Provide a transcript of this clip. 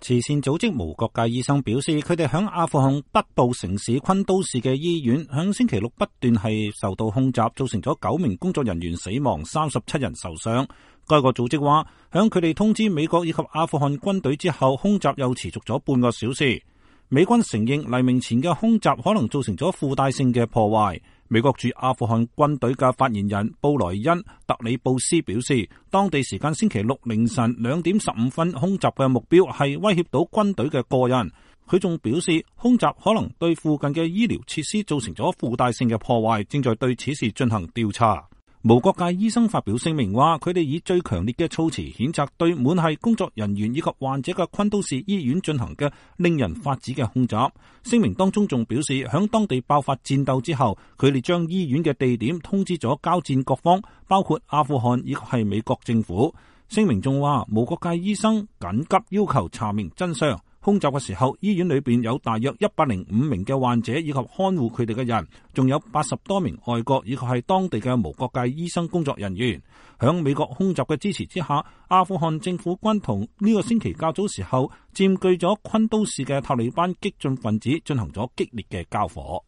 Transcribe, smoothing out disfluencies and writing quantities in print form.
慈善組織無國界醫生表示，佢哋響阿富汗北部城市昆都士嘅醫院響星期六不斷係受到空襲，造成咗9名工作人員死亡，37人受傷。該個組織話，響佢哋通知美國以及阿富汗軍隊之後，空襲又持續咗半個小時。美軍承認黎明前嘅空襲可能造成咗附帶性嘅破壞。美國駐阿富汗軍隊嘅發言人布萊恩特里布斯表示，當地時間星期六凌晨2點15分空襲嘅目標係威脅到軍隊嘅個人。佢仲表示，空襲可能對附近嘅醫療設施造成咗附帶性嘅破壞，正在對此事進行調查。無國界醫生發表聲明話，佢哋以最強烈嘅措辭譴責對滿係工作人員以及患者嘅昆都士醫院進行嘅令人髮指嘅空襲。聲明當中仲表示，響當地爆發戰鬥之後，佢哋將醫院嘅地點通知咗交戰各方，包括阿富汗以及係美國政府。聲明仲話，無國界醫生緊急要求查明真相。空襲嘅時候，醫院裏邊有大約105名嘅患者以及看護佢哋嘅人，仲有80多名外國以及係當地嘅無國界醫生工作人員。響美國空襲嘅支持之下，阿富汗政府軍同呢個星期較早時候佔據咗昆都士嘅塔利班激進分子進行咗激烈嘅交火。